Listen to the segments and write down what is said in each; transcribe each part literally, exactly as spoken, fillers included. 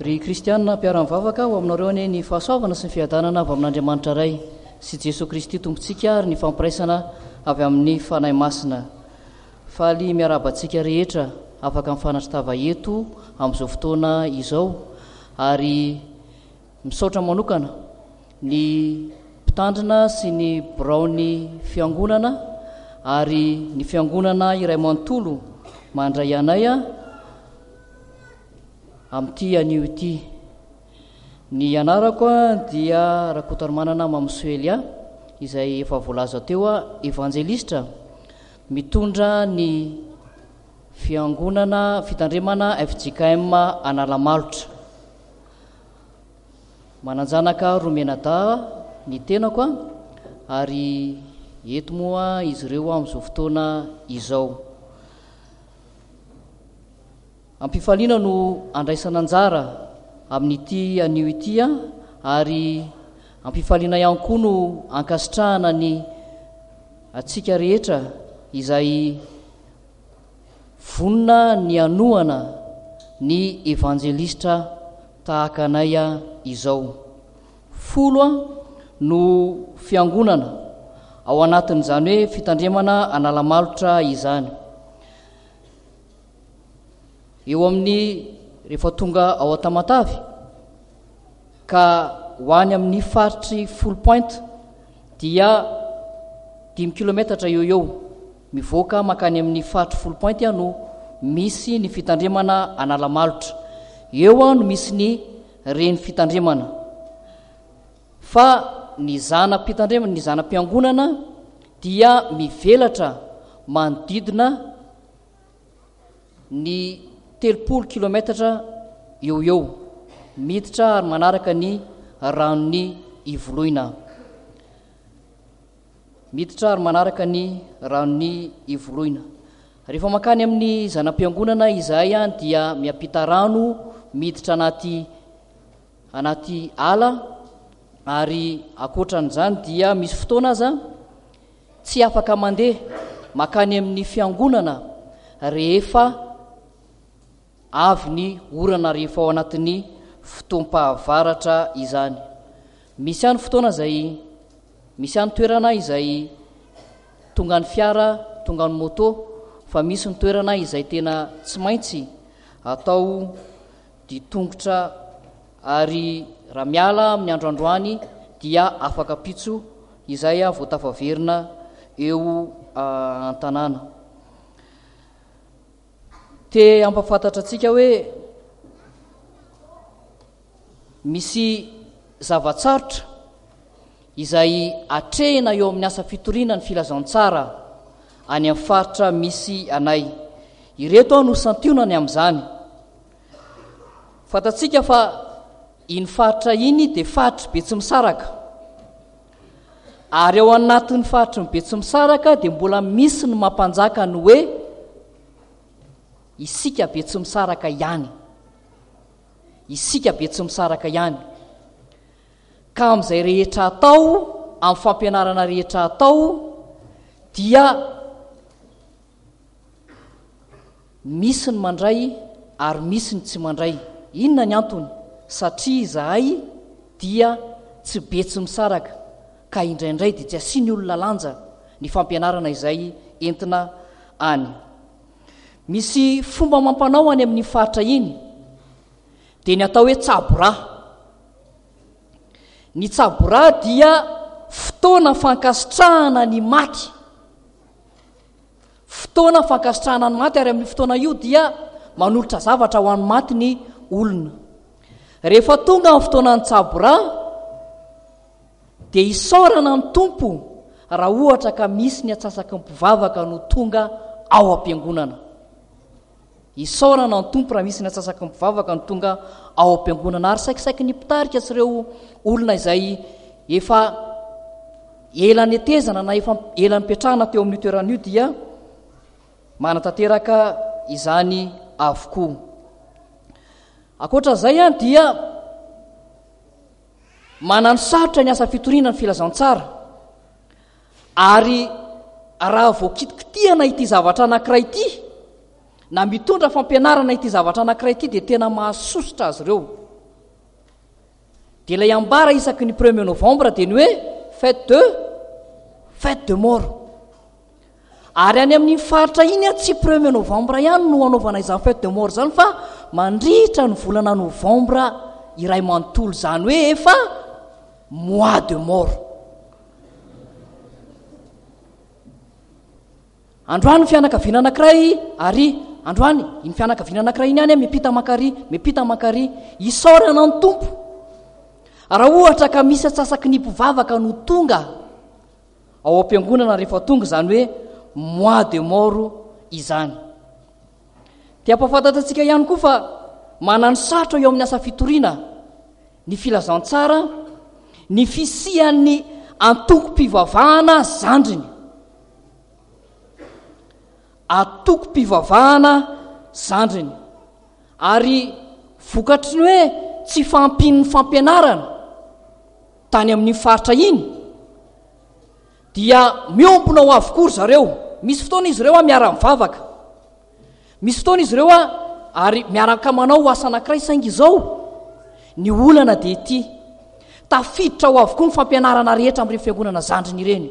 Ry kristianina mpiara-mivavaka, ho aminareo anie ny fahasoavana sy ny fiadanana avy amin'Andriamanitra Ray sy Jesoa Kristy Tompontsika ary ny fampiraisana avy amin'ny Fanahy Masina. Faly miarahaba antsika rehetra afaka mifanatri-tava eto amin'izao fotoana izao ary misaotra manokana ny mpitandrina sy ny biraon'ny fiangonana ary ny fiangonana iray manontolo mandray anay amin'ity anio ity. Ny anarako dia Rakotoarimanana Mamosoa Elia, izay efa voalaza teo, evanjelistra mitondra ny fiangonana fitandremana F J K M Analamalotra. Manan-janaka roa mianadahy ny tenako ary eto moa izy ireo amin'izao fotoana izao. Ampifaliana no andraisana anjara amin'ity anio ity ary ampifaliana ihany koa no ankasitrahana ny antsika rehetra izay vonona ny hanohana ny evanjelistra tahaka anay izao. Folo no fiangonana ao anatin'izany hoe fitandremana Analamalotra izany. Eo amin'ny rehefa tonga ao Tamatave ka ho any amin'ny faritry Foulpointe dia dimy kilometatra eo eo mivoaka mankany amin'ny faritry Foulpointe no misy ny fitandremana Analamalotra. Eo no misy ny reny fitandremana. Fa ny zana-pitandremana, ny zana-piangonana dia mivelatra manodidina ny telopolo kilometatra eo eo miditra ary manaraka ny ranon'ny Ivoloina. Miditra ary manaraka ny ranon'ny Ivoloina. Rehefa mankany amin'ny zana-piangonana izahay dia miampita rano miditra anaty, anaty ala ary ankoatran'izany dia misy fotoana aza tsy afaka mandeha mankany amin'ny fiangonana rehefa avy ny orana, rehefa ao anatin'ny fotoam-pahavaratra izany. Misy ihany fotoana izay, misy ihany toerana izay tonga ny fiara, tonga ny moto, fa misy ny toerana izay tena tsy maintsy atao ditongotra ary raha miala amin'ny andro androany dia afaka pitso izay vao tafaverina eo an-tanàna. Te hampahafantatra antsika hoe misy zava-tsarotra izay atrehina eo amin'ny asa fitoriana ny filazantsara any amin'ny faritra misy anay. Ireto aho no santionany amin'izany. Fantatsika fa iny faritra iny dia faritry Betsimisaraka. Ary ao anatin'ny faritry ny Betsimisaraka dia mbola misy ny mampanjaka ny hoe isika Betsimisaraka ihany. Isika Betsimisaraka ihany. Ka amin'izay rehetra atao, amin'ny fampianarana rehetra atao, dia misy ny mandray ary misy ny tsy mandray. Inona ny antony? Satria izahay dia tsy Betsimisaraka, ka indraindray dia tsy asiany olona lanja ny fampianarana izay entina any. Misy fomba mampanao any amin'ny faritra iny, dia ny atao hoe tsabo-rà. Ny tsabo-rà dia fotoana fankasitrahana ny maty. Fotoana fankasitrahana ny maty, ary amin'ny fotoana io dia manolotra zavatra ho an'ny maty ny olona. Rehefa tonga ny fotoana ny tsabo-rà, dia isaorana ny Tompo raha ohatra ka misy ny antsasaky ny mpivavaka no tonga ao am-piangonana. Isaorana ny Tompo raha misy ny antsasaky ny mpivavaka no tonga ao am-piangonana. Ary saikisaiky ny mpitarika sy ireo olona izay efa ela netezana na efa ela nipetrahana teo amin'io toerana io dia manatanteraka izany avokoa. Ankoatra izay ihany dia manano sarotra ny asa fitoriana ny filazantsara. Ary raha vao kitikitihana ity zavatra anankiray ity na mitondra fampianarana ity zavatra anankiray ity dia tena mahasosotra azy ireo. Dia ilay ambara isaky ny premier novembre dia ny hoe fête de fête de mort. Ary any amin'iny faritra iny a, tsy premier novembre ihany no anaovana izany fête de mort zany, fa mandritra ny volana novembre iray manontolo, zany hoe efa mois de mort. Androany fianakaviana anankiray, ary androany iny fianakaviana anankiray iny ihany a, miampita mankary, miampita mankary, isaorana ny Tompo. Raha ohatra ka misy atsasaky ny mpivavaka no tonga ao am-piangonana rehefa tonga izany hoe mois de mort izany. Te hampahafantatra antsika ihany koa fa manano sarotra eo amin'ny asa fitoriana ny filazantsara ny fisian'ny antokom-pivavahana zandriny. Antokom-pivavahana zandriny. Ary vokatry ny hoe tsy fahampian'ny fampianarana tany amin'ny faritra iny dia miombona ho avokoa ry zareo. Misy fotoana izy ireo a miara-mivavaka, misy fotoana izy ireo a ary miaraka manao asa anankiray, saingy izao ny olana dia ity: tafiditra ho avokoa ny fampianarana rehetra amin'ireny fiangonana zandriny ireny.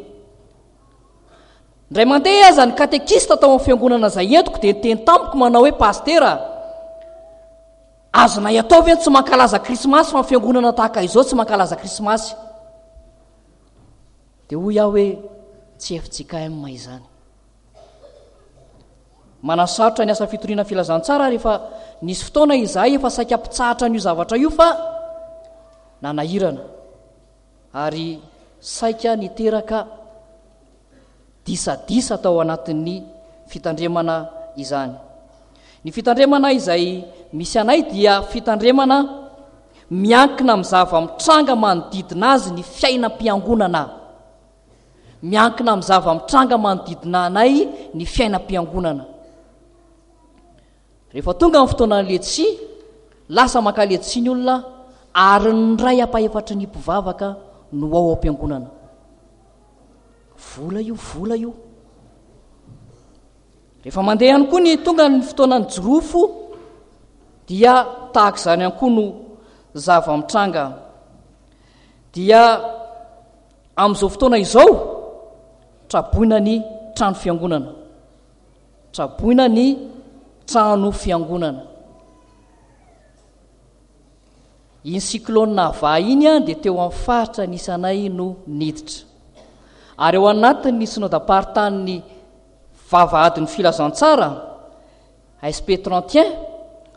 Indray mandeha aza ny katekista tao amin'ny fiangonana izay entiko dia niteny tamiko manao hoe: pastera, azonay atao ve ny tsy mankalaza krismasy fa ny fiangonana tahaka izao tsy mankalaza krismasy? Dia hoy aho hoe tsy F J K M izany. Manasarotra ny asa fitoriana filazantsara rehefa nisy fotoana izahay efa saika mpitsahatra an'io zavatra io fa nanahirana ary saika niteraka disadisa tao anatin'ny fitandremana izany. Ny fitandremana izay misy anay dia fitandremana miankina amin'ny zava-mitranga manodidina azy ny fiainam-piangonana. Miankina amin'ny zava-mitranga manodidina anay ny fiainam-piangonana. Rehefa tonga ny fotoanan'ny letsia, lasa maka letsia ny olona ary ny ray ampahefatry ny mpivavaka no ao am-piangonana. Vola io, vola io. Rehefa mandeha ihany koa ny tonga ny fotoanan'ny jirofo dia tahaka izany ihany koa no zava-mitranga. Dia amin'izao fotoana izao traboina ny trano fiangonana. Traboina ny trano fiangonana. Iny cyclone Ava iny a dia teo amin'ny faritra nisy anay no niditra. Ary ao anatin'ny synodam-paritanin'ny vavahadin'ny filazantsara S P trente et un,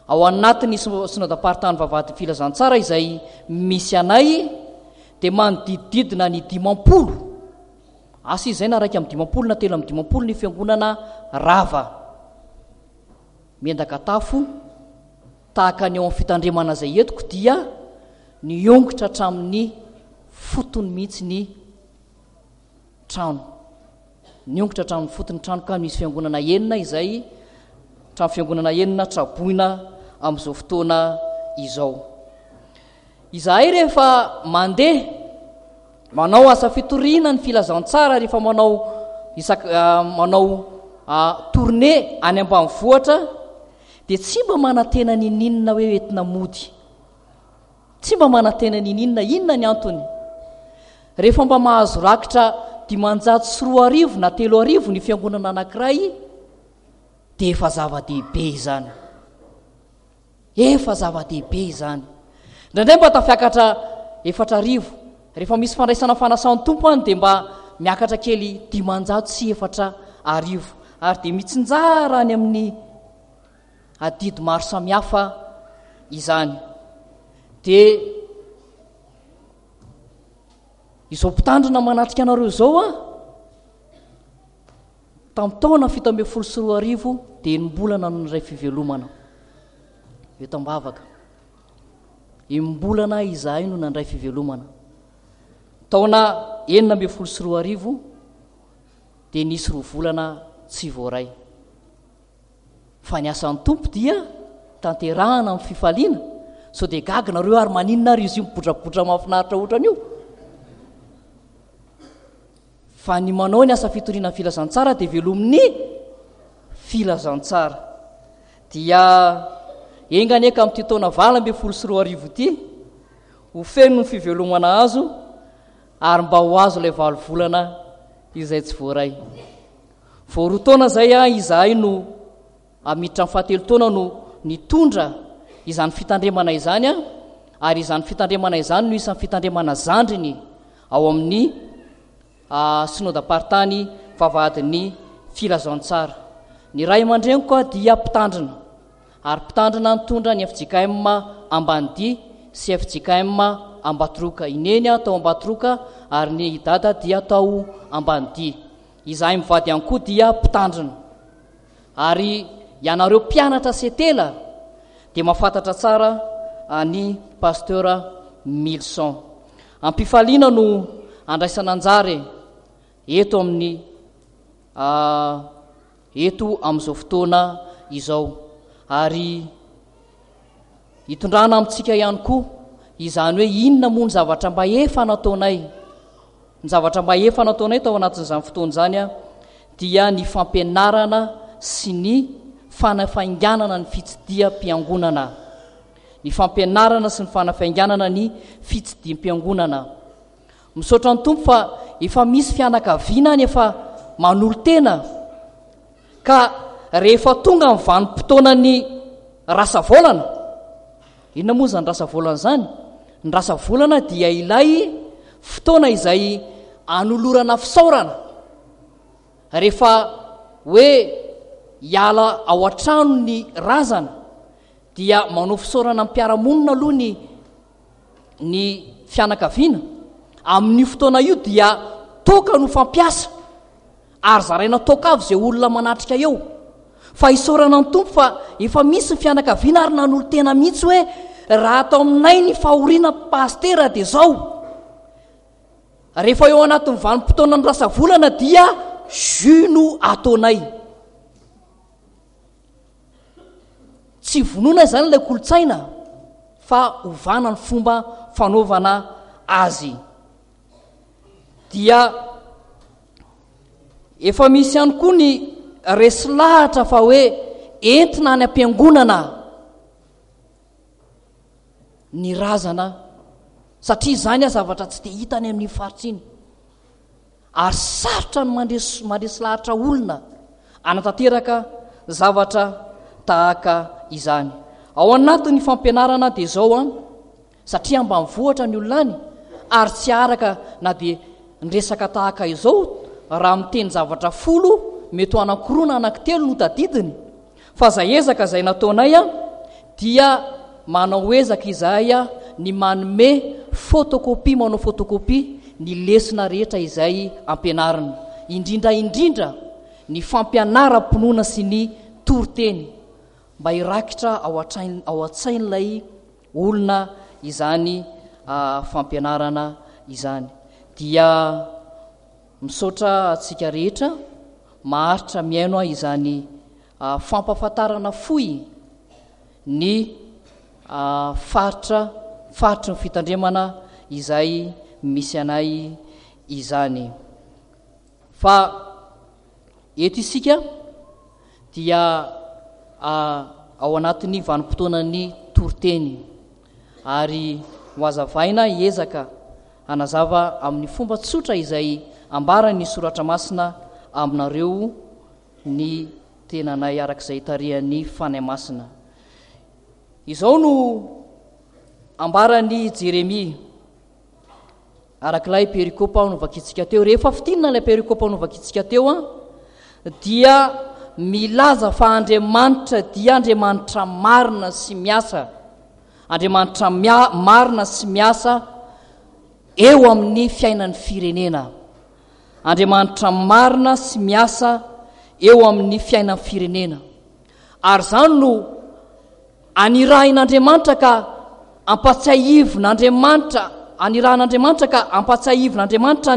ao anatin'ny synodam-paritanin'ny vavahadin'ny filazantsara izay misy anay dia manodidididina ny dimampolo, asa izay na iraika amby dimampolo na telo amby dimampolo ny fiangonana rava miendaka tafo tahaka ny ao amin'ny fitandremana izay entiko dia niongotra hatramin'ny fotony mihitsy ny trano. Niongotra hatramin'ny fotony trano ka misy fiangonana enina izay trano fiangonana enina traboina amin'izao fotoana izao. Izahay rehefa mandeha manao asa fitoriana ny filazantsara, rehefa manao isak-, manao, ah, tournée any ambanivohitra dia tsy mba manantena nininona hoe entina mody. Tsy mba manantena nininona. Inona ny antony? Rehefa mba mahazo rakitra dimanjato sy roa arivo na telo arivo ny fiangonana anankiray dia efa zava-dehibe izany. Efa zava-dehibe izany. Indraindray mba tafiakatra efatra arivo. Rehefa misy fandraisana fanasan'ny Tompo any dia mba miakatra kely dimanjato sy efatra arivo. Ary dia mitsinjara any amin'ny adidy maro samihafa izany. Dia izao mpitandrina manatrika anareo izao a, tamin'ny taona fito ambin'ny folo sy roa arivo dia enim-bolana no niray fivelomana eto am-bavaka. Enim-bolana izahay no nandray fivelomana. Taona enina ambin'ny folo sy roa arivo dia nisy roa volana tsy voaray. Fa ny asan'ny Tompo dia tanterahana amin'ny fifaliana. Sao dia gaga nareo ary maninona ary izy io mibotrabotra mahafinaritra ohatran'io? Fa ny manao ny asa fitoriana ny filazantsara dia velomin'ny filazantsara. Dia enga anie ka amin'ity taona valo ambin'ny folo sy roa arivo ity ho feno ny fivelomana azo ary mba ho azo ilay valo volana izay tsy voaray. Vao roa taona izay izahay no miditra amin'ny fahatelo taona no nitondra izany fitandremana izany, ary izany fitandremana izany no isan'ny fitandremana zandriny ao amin'ny synodam-paritany Vavahadin'ny Filazantsara. Ny ray aman-dreniko dia mpitandrina, ary mpitandrina nitondra ny F J K M Ambanidia sy F J K M Ambatoroka. I Neny tao Ambatoroka ary ny Dada dia tao Ambanidia. Izahay mivady ihany koa dia mpitandrina. Ary ianareo mpianatra setela dia mahafantatra tsara ny pasteur Milson. Ampifaliana no andraisana anjara eto amin'ny, eto amin'izao fotoana izao. Ary hitondrana amintsika ihany koa izany hoe inona moa ny zavatra mba efa nataonay. Ny zavatra mba efa nataonay tao anatin'izany fotoana izany a, dia ny fampianarana sy ny fanafainganana ny fitsidiham-piangonana. Ny fampianarana sy ny fanafainganana ny fitsidiham-piangonana. Misaotra ny Tompo fa efa misy fianakaviana any efa manolo-tena, ka rehefa tonga ny vanim-potoanan'ny rasavaolana, inona moa izany rasavaolana izany? Ny rasavaolana dia ilay fotoana izay anolorana fisaorana rehefa hoe hiala ao an-trano ny razana, dia manao fisaorana amin'ny mpiara-monina aloha ny, ny fianakaviana. Amin'io fotoana io dia toaka no fampiasa, ary zaraina toaka avy izay olona manatrika eo. Fa isaorana ny Tompo fa efa misy ny fianakaviana ary nanolo-tena mihitsy hoe raha atao aminay ny fahoriana pastera dia zao. Rehefa eo anatin'ny vanim-potoanan'ny rasavolana dia jus no ataonay. Tsy vonoina izany ilay kolontsaina fa ovana ny fomba fanaovana azy. Dia efa misy ihany koa ny resy lahatra fa hoe entina any am-piangonana ny razana, satria izany zavatra tsy dia hita any amin'ny faritra iny. Ary sarotra ny mandresy, mandresy lahatra olona anatanteraka zavatra tahaka izany. Ao anatin'ny fampianarana dia izao an, satria ambanivohitra ny olona any ary tsy araka na dia ny resaka tahaka izao, raha miteny zavatra folo mety ho anankiroa na anankitelo no tadidiny. Fa izay ezaka izay nataonay an, dia manao ezaka izahay an, ny manome photocopie, manao photocopie ny lesona rehetra izay ampianarina, indrindra indrindra ny fampianaram-pinoana sy ny toriteny, mba hirakitra ao an-tsain-, ao an-tsain'ilay olona izany, ah, fampianarana izany. Dia misaotra antsika rehetra maharitra mihaino ahy izany, ah, fampahafantarana fohy ny, ah, faritra, faritry ny fitandremana izay misy anay izany. Fa eto isika dia, ah, ao anatin'ny vanim-potoanan'ny toriteny, ary ho hazavaina hiezaka hanazava amin'ny fomba tsotra izay ambaran'ny soratra masina aminareo ny tenanay arak'izay tarihan'ny Fanahy Masina. Izao no ambaran'i Jeremia arak'ilay perikopa novakintsika teo. Rehefa fintinina ilay perikopa novakintsika teo an, dia milaza fa Andriamanitra dia Andriamanitra marina sy miasa. Andriamanitra mia-, marina sy miasa eo amin'ny fiainan'ny firenena. Andriamanitra marina sy miasa eo amin'ny fiainan'ny firenena. Ary izany no anirahin'Andriamanitra ka ampatsiahivin'Andriamanitra, anirahin'Andriamanitra ka ampatsiahivin'Andriamanitra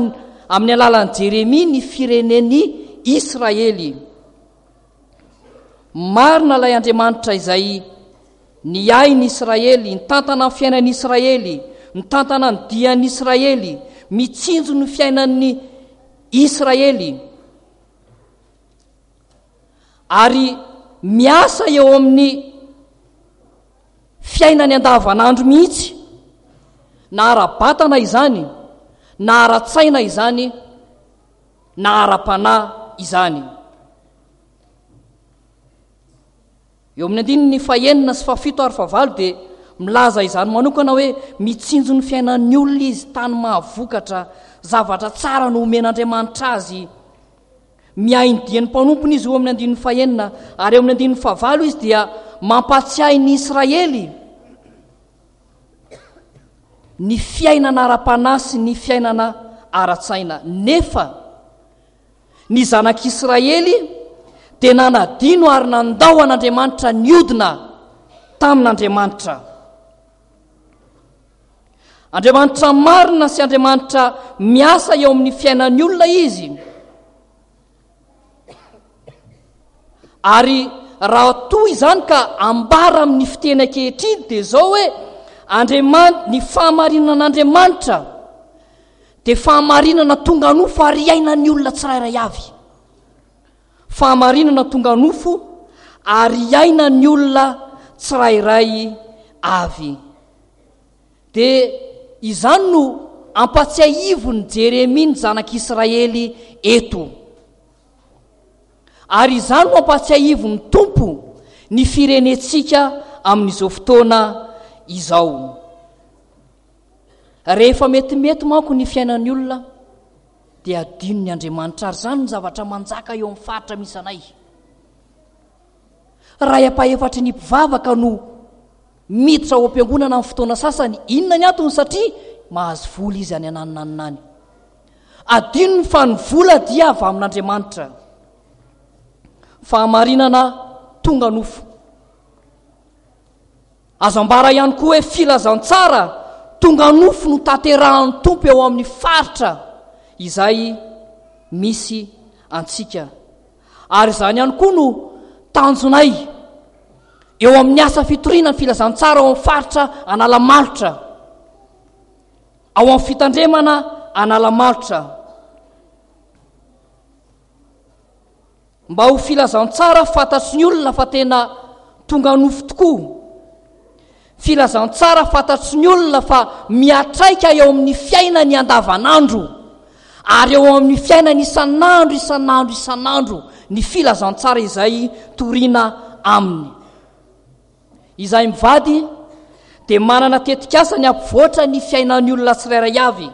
amin'ny alalan'i Jeremia ny firenen'i Israely. Marina ilay Andriamanitra izay niahy ny Israely, nitantana ny fiainan'i Israely, nitantana ny dian'i Israely, mitsinjo ny fiainan'ny Israely. Ary miasa eo amin'ny fiainany andavanandro mihitsy, Na ara-batana izany, na ara-tsaina izany, na ara-panahy izany. Eo amin'ny andininy fahenina sy fahafito ary fahavalo dia milaza izany manokana hoe mitsinjo ny fiainan'ny olona izy, tany mahavokatra, zavatra tsara no omen'Andriamanitra azy. Miahy ny dian'ny mpanompony izy eo amin'ny andininy fahenina, ary eo amin'ny andininy fahavalo izy dia mampatsiahy ny Israely ny fiainana ara-panahy sy ny fiainana ara-tsaina. Nefa ny zanak'Israely dia nanadino ary nandao an'Andriamanitra niodina tamin'Andriamanitra. Andriamanitra marina sy Andriamanitra miasa eo amin'ny fiainan'ny olona izy. Ary raha toa izany ka ambara amin'ny fiteny ankehitriny dia izao hoe Andriaman-, ny fahamarinan'Andriamanitra dia fahamarinana tonga nofo ary iainan'ny olona tsirairay avy. Fahamarinana tonga nofo ary iainan'ny olona tsirairay avy. Dia izany no ampatsiahivin'i Jeremia ny zanak'Israely eto. Ary izany no ampatsiahivin'ny Tompo ny firenentsika amin'izao fotoana izao. Rehefa metimety manko ny fiainan'ny olona dia adinony Andriamanitra, ary izany no zavatra manjaka eo amin'ny faritra misy anay. Ray ampahefatry ny mpivavaka no miditra ao am-piangonana amin'ny fotoana sasany. Inona ny antony? Satria mahazo vola izy any ananonanona any. Adinony fa ny vola dia avy amin'Andriamanitra. Fahamarinana tonga nofo. Azo ambara ihany koa hoe filazantsara tonga nofo no tanterahan'ny Tompo eo amin'ny faritra izay misy antsika. Ary izany ihany koa no tanjonay eo amin'ny asa fitoriana ny filazantsara ao amin'ny faritra Analamalotra, ao amin'ny fitandremana Analamalotra. Mba ho filazantsara fantatry ny olona fa tena tonga nofo tokoa. Filazantsara fantatry ny olona fa miatraika eo amin'ny fiainany andavanandro ary eo amin'ny fiainany isan'andro isan'andro isan'andro ny filazantsara izay torina aminy. Izahay mivady dia manana tetikasa ny hampivoatra ny fiainan'ny olona tsirairay avy,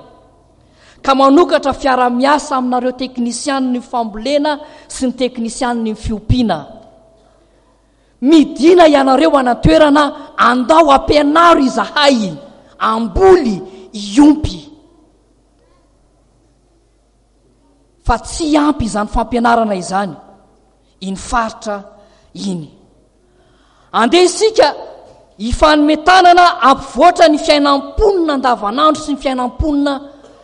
ka manokatra fiara-miasa aminareo teknisianin'ny fambolena sy ny teknisianin'ny fiompiana. Midina ianareo any an-toerana, andao ampianaro izahay hamboly, hiompy. Fa tsy ampy izany fampianarana izany iny faritra iny. Andeha isika hifanome tanana hampivoatra ny fiainam-ponina andavanandro sy ny fiainam-ponina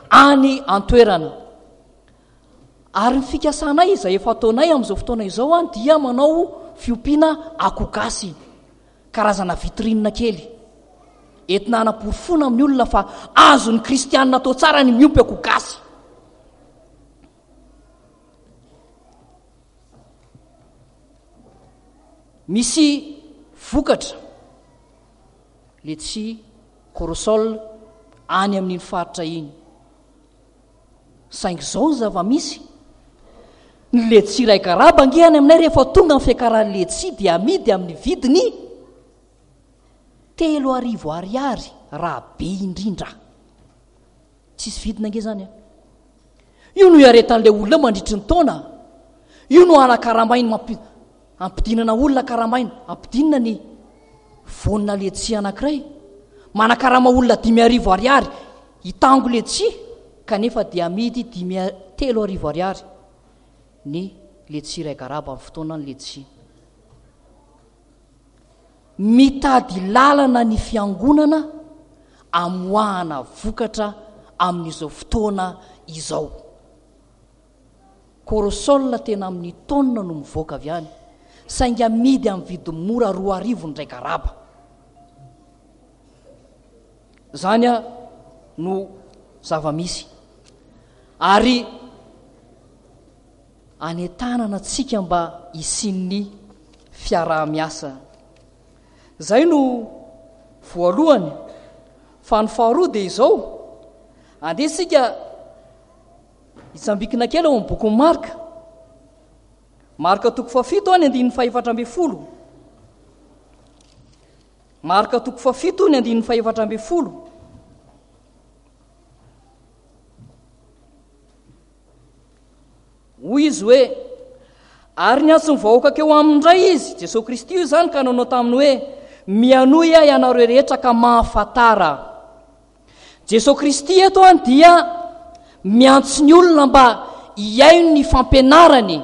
any an-toerana. Ary ny fikasanay izay efa ataonay amin'izao fotoana izao an dia manao fiompiana akoho gasy, karazana vitrine kely, entina hanaporofoana amin'ny olona fa azon'ny kristianina atao tsara ny miompy akoho gasy. Misy vokatra letchi corosol any amin'iny faritra iny. Saingy izao ny zava-misy, ny letchi iray garaba ange any aminay rehefa tonga ny fiakaran'ny letchi dia amidy amin'ny vidiny telo arivo ariary raha be indrindra. Tsisy vidiny ange izany an. Io no iaretan'ilay olona eo mandritry ny taona. Io no anakaramainy mampi, ampidinana olona karamaina, ampidinina ny vonina letchi anankiray. Manakarama olona dimy arivo ariary hitango letchi kanefa dia amidy dimy telo arivo ariary ny letchi iray garaba amin'ny fotoanan'ny letchi. Mitady lalana ny fiangonana amoahana vokatra amin'izao fotoana izao. Corosol tena amin'ny tonne no mivoaka avy any, saingy amidy amin'ny vidiny mora roa arivo ny iray garaba. Izany no zava-misy. Ary anentanana antsika mba hisian'ny fiaraha-miasa. Izay no voalohany. Fa ny faharoa dia izao, andeha isika hitsambikina kely ao amin'ny bokin'i Marka. Marka toko fahafito ny andininy fahefatra ambin'ny folo. Marka toko fahafito ny andininy fahefatra ambin'ny folo. Hoy izy hoe, Ary niantso ny vahoaka keo aminy indray izy, Jesoa Kristy io izany, ka nanao taminy hoe, Mianohy ahy ianareo rehetra ka mahafantara. Jesoa Kristy eto an dia miantso ny olona mba hihaino ny fampianarany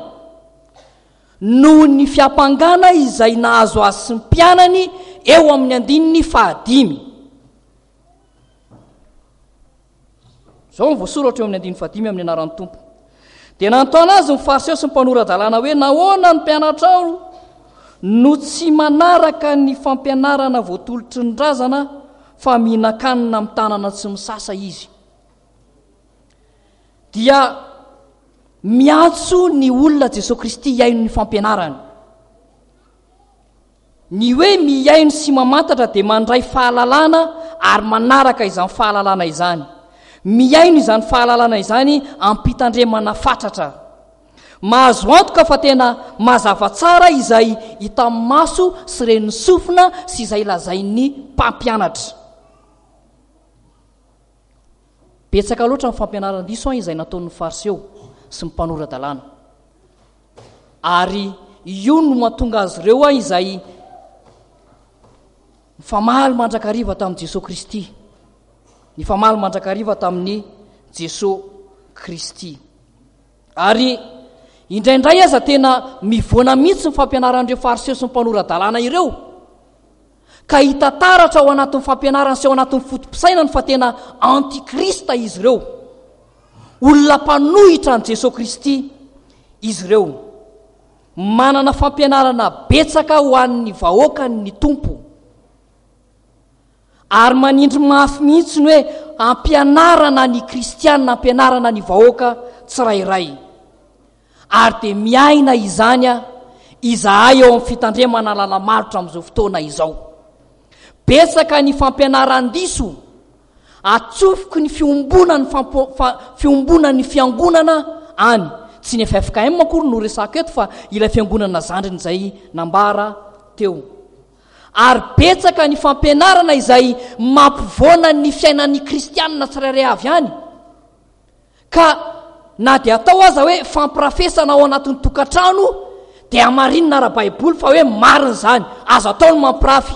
noho ny fiampangana izay nahazo azy sy ny mpianany eo amin'ny andininy fahadimy. Izao no voasoratra eo amin'ny andininy fahadimy amin'ny anaran'ny Tompo. Dia nanontany azy ny Fariseo sy ny mpanora-dalàna hoe, Nahoana ny mpianatrao no tsy manaraka ny fampianarana voatolotry ny razana fa mihinan-kanina amin'ny tanana tsy misasa izy? Dia miantso ny olona Jesosy Kristy hihaino ny fampianarany. Ny hoe mihaino sy mamantatra dia mandray fahalalana ary manaraka izany fahalalana izany. Mihaino izany fahalalana izany am-pitandremana fatratra. Mahazo antoka fa tena mazava tsara izay hitan'ny maso sy ren'ny sofina sy izay lazain'ny mpampianatra. Betsaka loatra ny fampianaran-diso izay nataon'ny Fariseo sy ny mpanora-dalàna. Ary io no mahatonga azy ireo izay nifamaly mandrakariva tamin'i Jesoa Kristy. Nifamaly mandrakariva tamin'i Jesoa Kristy. Ary indraindray aza tena mivoana mihitsy ny fampianaran'ireo Fariseo sy ny mpanora-dalàna ireo. Ka hita taratra ao anatin'ny fampianarany sy ao anatin'ny foto-pisainany fa tena antikrista izy ireo. Olona mpanohitra an'i Jesoa Kristy izy ireo. Manana fampianarana betsaka ho an'ny vahoakany ny Tompo. Ary manindry mafy mihitsy ny hoe ampianarana ny kristiana, ampianarana ny vahoaka tsirairay. Ary dia miaina izany izahay ao amin'ny fitandremana lala-marotra amin'izao fotoana izao. Betsaka ny fampianaran-diso Atsofoky ny fiombonan'ny fiombonan'ny fiangonana any. Tsy ny F F K M akory no resako eto fa ilay fiangonana zandriny izay nambara teo. Ary betsaka ny fampianarana izay mampivoana ny fiainan'ny kristianina tsirairay avy any. Ka na dia atao aza hoe fampirafesana ao anatin'ny tokantrano dia hamarinina ara-baiboly fa hoe marina izany. Azo atao ny mampirafy.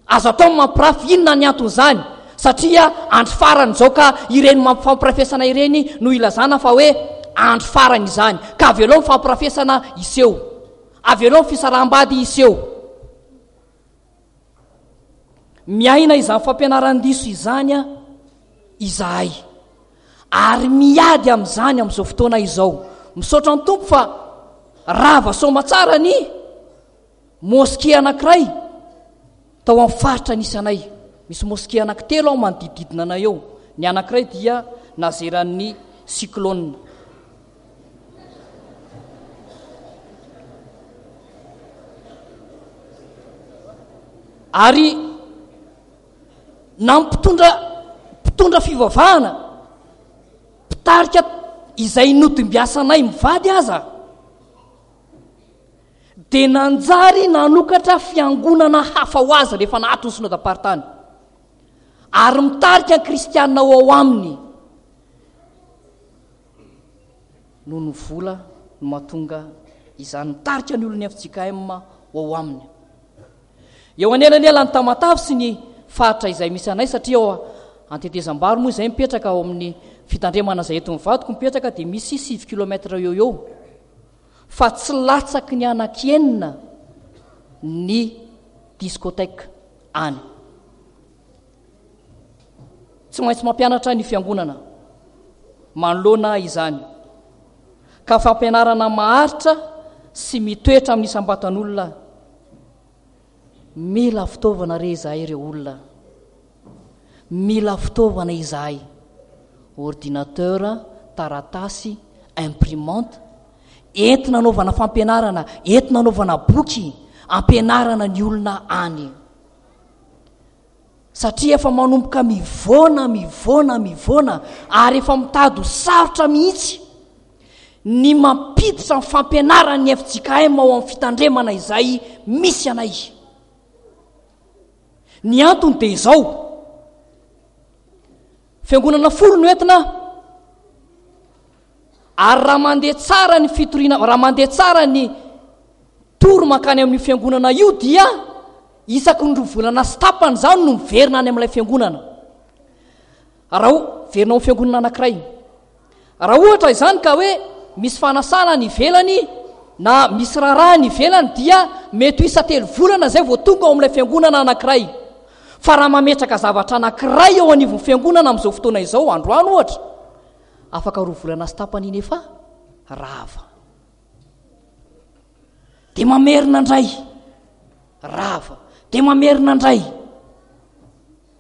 Azo atao ny mampirafy, inona ny anton'izany? Satria andro farany izao ka ireny fampirafesana ireny no ilazana fa hoe andro farany izany. Ka avelao ny fampirafesana hiseho. Avelao ny fisaraham-bady hiseho. Miaina izany fampianaran-diso izany izahay. Ary miady amin'izany amin'izao fotoana izao. Misaotra ny Tompo fa rava soamatsara ny Moske anankiray tao amin'ny faritra nisy anay. Misy moske anankitelo ao manodidididina anay eo. Ny anankiray dia nazeran'ny cyclone. Ary na mpitondra mpitondra fivavahana, mpitarika izay nodimbiasanay mivady aza, dia nanjary nanokatra fiangonana hafa ho azy rehefa nahato ny synodam-paritany, ary mitarika ny kristiana ho ao aminy. Noho ny vola no mahatonga izany, mitarika ny olon'ny F J K M ho ao aminy. Eo anelanelan'i Tamatave sy ny faritra izay misy anay, satria ao Antetezambaro moa izay mipetraka, ao amin'ny fitandremana izay eto mivadiko mipetraka, dia misy sivy kilomètre eo eo. Fa tsy latsaky ny anaky enina ny discothèque any. Tsy maintsy mampianatra ny fiangonana manoloana izany, ka fampianarana maharitra sy mitoetra amin'ny isam-batan'olona. Mila fitaovana re izahay ireo olona. Mila fitaovana izahay, ordinateur, taratasy, imprimante, entina anaovana fampianarana, entina anaovana boky, ampianarana ny olona any. Satria efa manomboka mivoana, mivoana, mivoana ary efa mitady ho sarotra mihitsy ny mampiditra ny fampianaran'ny F J K M ao amin'ny fitandremana izay misy anay. Ny antony dia izao, fiangonana folo no entina, ary raha mandeha tsara ny fitoriana, raha mandeha tsara ny tory mankany amin'io fiangonana io dia isaky ny roa volana sy tapany izany no miverina any amin'ilay fiangonana. Raha o-, verina ao amin'ny fiangonana anankiray. Raha ohatra izany ka hoe misy fanasana any ivelany na misy raharaha any ivelany dia mety ho isa-telo volana izay vao tonga ao amin'ilay fiangonana anankiray. Fa raha mametraka zavatra anankiray eo anivon'ny fiangonana amin'izao fotoana izao, androany ohatra, afaka roa volana sy tapany iny efa rava. Dia mamerina indray, rava. Dia mamerina indray.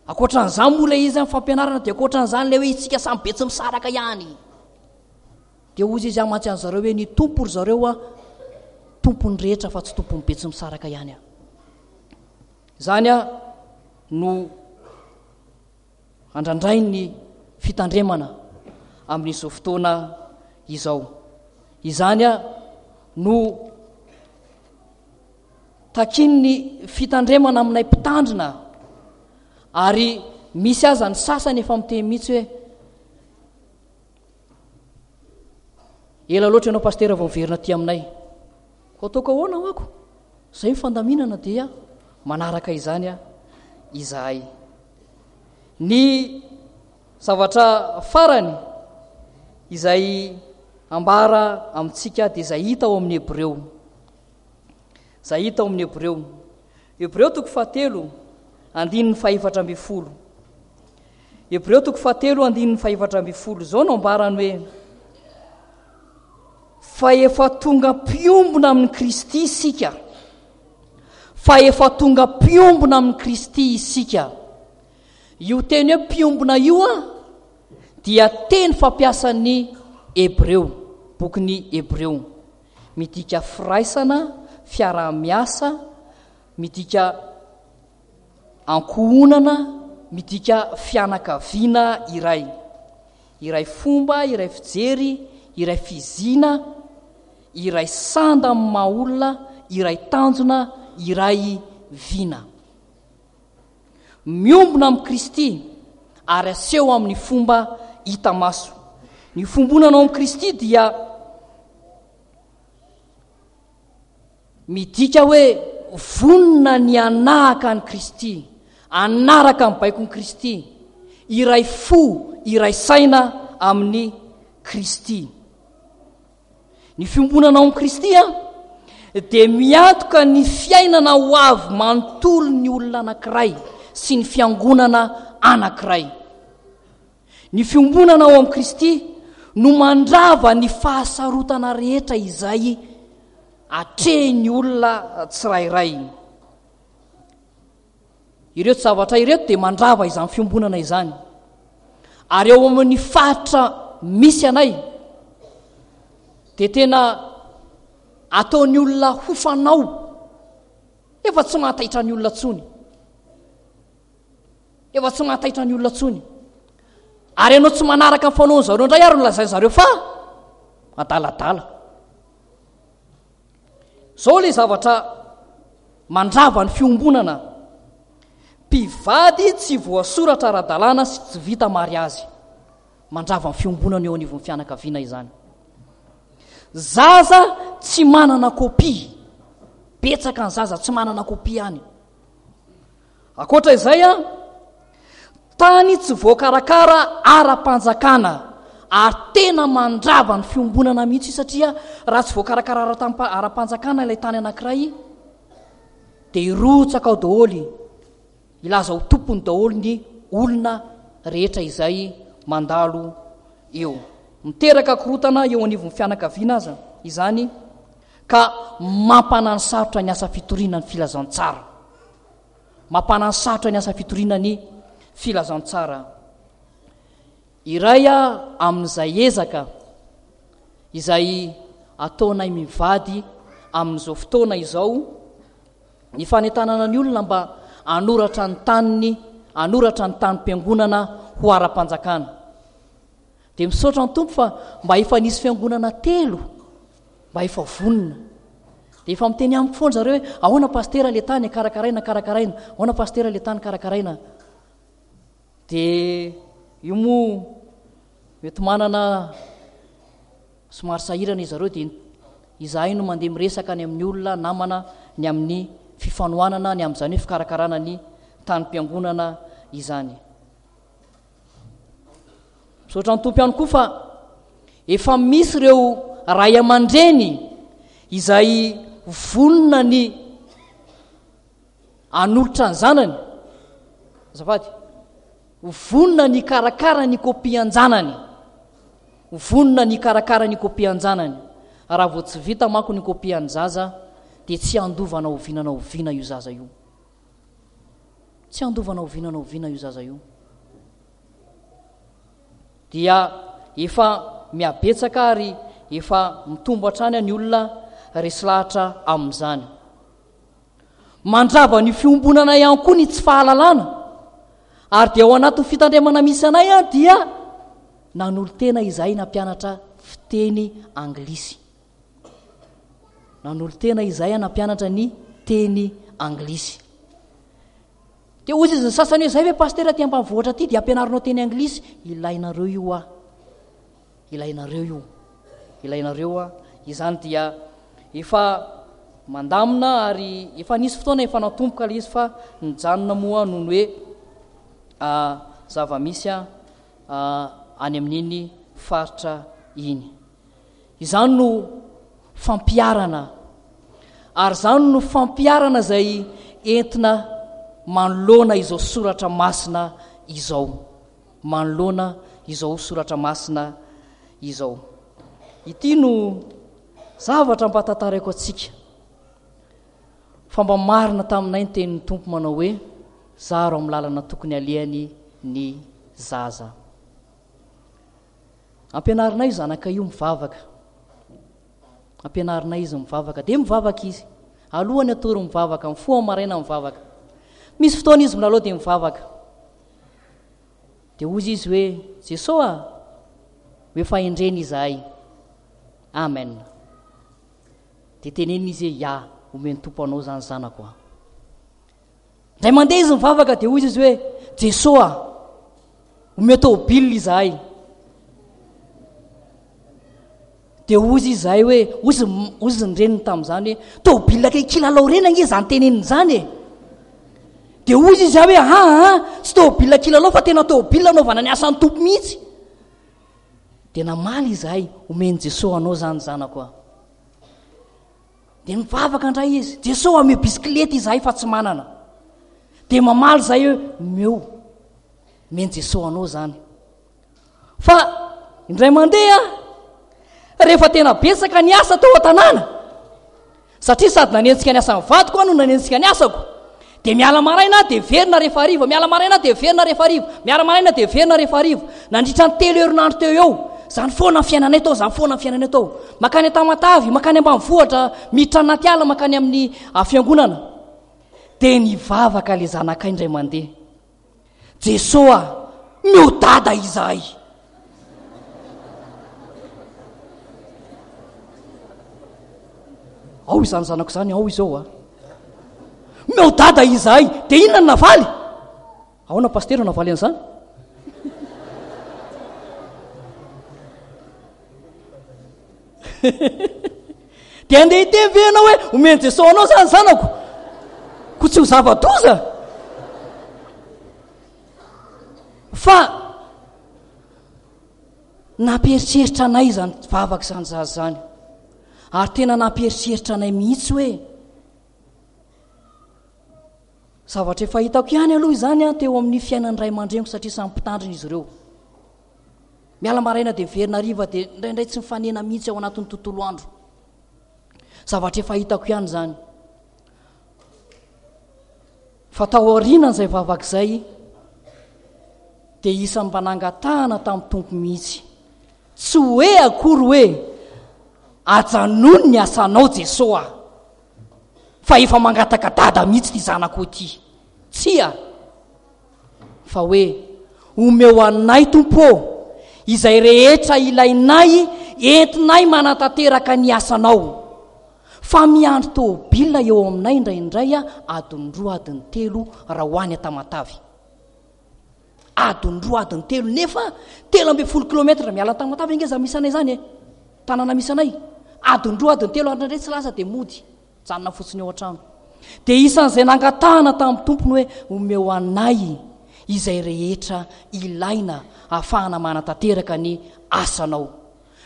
Ankoatran'izany moa ilay izy amin'ny fampianarana dia ankoatran'izany ilay hoe isika samy be tsy misaraka ihany. Dia hozy izy amantsy an'i zareo hoe ny Tompo ry zareo a, tompon'ny rehetra fa tsy tompon'ny be tsy misaraka ihany a. Izany a no andrandrain'ny fitandremana amin'izao fotoana izao. Izany a no takian'ny fitandremana aminay mpitandrina, ary misy aza ny sasany efa miteny mihitsy hoe ela loatra ianao pastera vao miverina aty aminay. Ko ataoko ahoana ho ako? Izay ny fandaminana dia manaraka izany a izahay. Ny zavatra farany izay ambara amintsika dia izay hita ao amin'ny Hebreo. Izay hita ao amin'ny Hebreo. Hebreo toko fahatelo, andininy fahefatra ambin'ny folo. Hebreo toko fahatelo, andininy fahefatra ambin'ny folo. Izao no ambarany hoe fa efa tonga mpiombona amin'i Kristy isika. Fa efa tonga mpiombona amin'i Kristy isika. Io teny hoe mpiombona io a dia teny fampiasan'ny Hebreo, bokin'ny Hebreo. Midika firaisana, fiaraha-miasa, midika ankohonana, midika fianakaviana iray. Iray fomba, iray fijery, iray fizina, iray sanda amin'ny maha olona, iray tanjona, iray vina. Miombona amin'i Kristy ary aseho amin'ny fomba hita maso. Ny fombonana ao amin'i Kristy dia midika hoe vonona ny hanahaka an'i Kristy, hanaraka ny baikon'i Kristy, iray fo, iray saina amin'i Kristy. Ny fiombonana ao amin'i Kristy a, dia miantoka ny fiainana ho avy manontolo ny olona anankiray sy ny fiangonana anankiray. Ny fiombonana ao amin'i Kristy no mandrava ny fahasarotana rehetra izay atrehin'ny olona tsirairay. Ireto zavatra ireto dia mandrava izany fiombonana izany. Ary ao amin'ny faritra misy anay dia tena ataon'ny olona ho fanao, efa tsy mahataitra ny olona intsony. Efa tsy mahataitra ny olona intsony. Ary ianao tsy manaraka ny fanaon'ny zareo indray ary no lazain'ny zareo fa adaladala. Izao ilay zavatra mandrava ny fiombonana. Mpivady tsy voasoratra ara-dalàna sy tsy vita mariazy. Mandrava ny fiombonana eo anivon'ny fianakaviana izany. Zaza tsy manana kopia. Betsaka ny zaza tsy manana kopia any. Ankoatra izay, tany tsy voakarakara ara-panjakana ary tena mandrava ny fiombonana mihitsy satria raha tsy voakarakara ara-panjakana ilay tany anankiray dia hirotsaka ao daholo, hilaza ho tompony daholo ny olona rehetra izay mandalo eo. Miteraka korontana eo anivon'ny fianakaviana aza izany ka mampananosarotra ny asa fitoriana ny filazantsara. Mampananosarotra ny asa fitoriana ny filazantsara. Iray amin'izay ezaka izay ataonay mivady amin'izao fotoana izao ny fanentanana ny olona mba hanoratra ny taniny hanoratra ny tanim-piangonana ho ara-panjakana. Dia misaotra ny Tompo fa mba efa nisy fiangonana telo mba efa vonona. Dia efa miteny amiko foana zareo hoe ahoana pastera le tany karakaraina karakaraina, ahoana pastera le tany karakaraina. Dia io moa mety manana somary sahirana izy zareo, dia izahay no mandeha miresaka any amin'ny olona namana ny amin'ny fifanohanana ny amin'izany hoe fikarakarana ny tanim-piangonana izany. Misaotra ny Tompo ihany koa fa efa misy ireo ray aman-dreny izay vonona ny hanolotra ny zanany. Azafady. Vonona ny hikarakara ny kopian-janany. Vonona ny hikarakara ny kopian-janany. Raha vao tsy vita manko ny kopian'ny zaza dia tsy handova na oviana na oviana io zaza io. Tsy handova na oviana na oviana io zaza io. Dia efa mihabetsaka ary efa mitombo hatrany ny olona resy lahatra amin'izany. Mandrava ny fiombonana ihany koa ny tsy fahalalana. Ary dia ao anatin'ny fitandremana misy anay an, dia nanolo-tena izahay nampianatra fiteny anglisy. Nanolo-tena izahay nampianatra ny teny anglisy. Dia hoy izy ny sasany hoe, zay ve pastera aty ambanivohitra aty dia ampianarinao teny anglisy? Ilainareo io ah. Ilainareo io. Ilainareo ah. Izany dia efa mandamina ary efa nisy fotoana efa natomboka ilay izy fa nijanona moa noho ny hoe, ah, zava-misy ah, ah, any amin'iny faritra iny. Izany no fampiharana, ary izany no fampiharana izay entina manoloana izao soratra masina izao. Manoloana izao soratra masina izao. Ity no zavatra mba tantaraiko antsika. Fa mba marina taminay ny tenin'ny Tompo manao hoe, zaro amin'ny lalana tokony alehany ny zaza. Ampianarinay io zanaka io mivavaka. Ampianarinay izy mivavaka. Dia mivavaka izy. Alohany atory mivavaka, mifoha maraina mivavaka. Misy fotoana izy milalao dia mivavaka. Dia hoy izy hoe, Jesoa a, hoe fahendrena izahay. Amen. Dia tenenina izy hoe, ya, omen'ny Tompo anao izany zanako a. Indray mandeha izy mivavaka dia hoy izy hoe, Jesoa a, omeo tôbily izahay. Dia hoy izy izahay hoe, hoy izy, hoy izy ny reniny tamin'izany hoe, tôbily kay kilalao reny ange izany teneniny izany e. Dia hoy izy izahay hoe, ha, ha, tsy tôbily kilalao fa tena tôbily anaovana ny asan'ny Tompo mihitsy. Dia namaly izahay, omen'i Jesoa anao izany zanako a. Dia nivavaka indray izy, Jesoa omeo bisikileta izahay fa tsy manana. Dia mamaly izahay hoe, omeo, omen'i Jesoa anao izany. Fa indray mandeha, rehefa tena betsaka ny asa tao an-tanàna, satria sady nanenjika ny asan'ny vadiko aho no nanenjika ny asako, dia miala maraina aho dia verina rehefa hariva, miala maraina aho dia verina rehefa hariva, miala maraina dia verina rehefa hariva. Nandritra ny telo herinandro teo eo, izany foana ny fiainanay tao, izany foana ny fiainanay tao. Makany Tamatavy, makany ambanivohitra, miditra anaty ala, makany amin'ny, ah, fiangonana. Dia nivavaka ilay zanakay indray mandeha. Jesoa, meo dada izahay. Ao izany zanako izany, ao izao a. Meo dada izahay. Dia inona no navaly? Ahoana pasitera no navaly an'izany? Dia andeha hiteny ve ianao hoe omen'i Jesoa anao izany zanako? Ko tsy ho zava-doza. Fa nampieritreritra anay izany vavaka izany zaza izany. Ary tena nampieritreritra anay mihitsy hoe zavatra efa hitako ihany aloha izany an teo amin'ny fiainan'ny ray aman-dreniko satria samy mpitandrina izy ireo. Miala maraina dia miverina hariva dia indraindray tsy mifanena mihitsy ao anatin'ny tontolo andro. Zavatra efa hitako ihany izany. Fa tao aorianan'izay vavaka izay dia isan'ny mba nangatahana tamin'ny Tompo mihitsy. Tsy hoe akory hoe ajanony ny asanao Jesoa fa efa mangataka dada mihitsy ity zanako ity. Tsia. fa hoe omeo anay Tompo ô izay rehetra ilainay entinay manatanteraka ny asanao. Fa miandry tômôbila eo aminay indraindray adiny roa adiny telo raha ho any Tamatave. Adiny roa adiny telo nefa telo ambin'ny folo kilomètre miala Tamatave ange za misy anay zany e. Tanàna misy anay. Adiny roa adiny telo ary indraindray tsy lasa dia mody. Janona fotsiny eo an-trano. Dia isan'izay nangatahana tamin'ny tompony hoe omeo anay izay rehetra ilaina ahafahana manatanteraka ny asanao.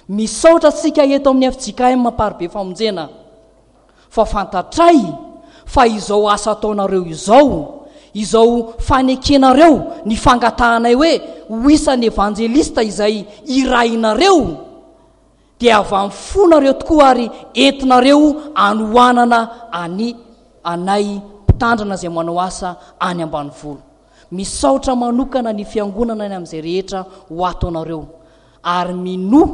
Misaotra antsika eto amin'ny F J K M Amparibe Famonjena fa fantatray fa izao asa ataonareo izao, izao fanekenareo ny fangatahanay hoe ho isan'ny evanjelista izay irahinareo, dia avy amin'ny fonareo tokoa ary entinareo anohanana any anay mpitandrina izay manao asa any ambanivolo. Misaotra manokana ny fiangonana any amin'izay rehetra ho ataonareo ary minoa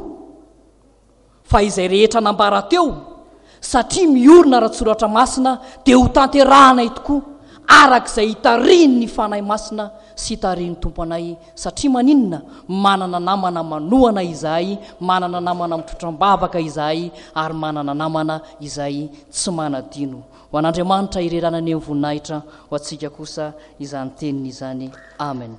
fa izay rehetra nambara teo satria miorina ara-tsoratra masina dia ho tanterahanay tokoa arak'izay hitarihin'ny Fanahy Masina sy hitarihin'ny Tompo anay, satria maninona? Manana namana manohana izahay, manana namana mitrotram-bavaka izahay ary manana namana izay tsy manadino. Ho an'Andriamanitra ireranany ny voninahitra, ho antsika kosa izany teniny izany. Amen.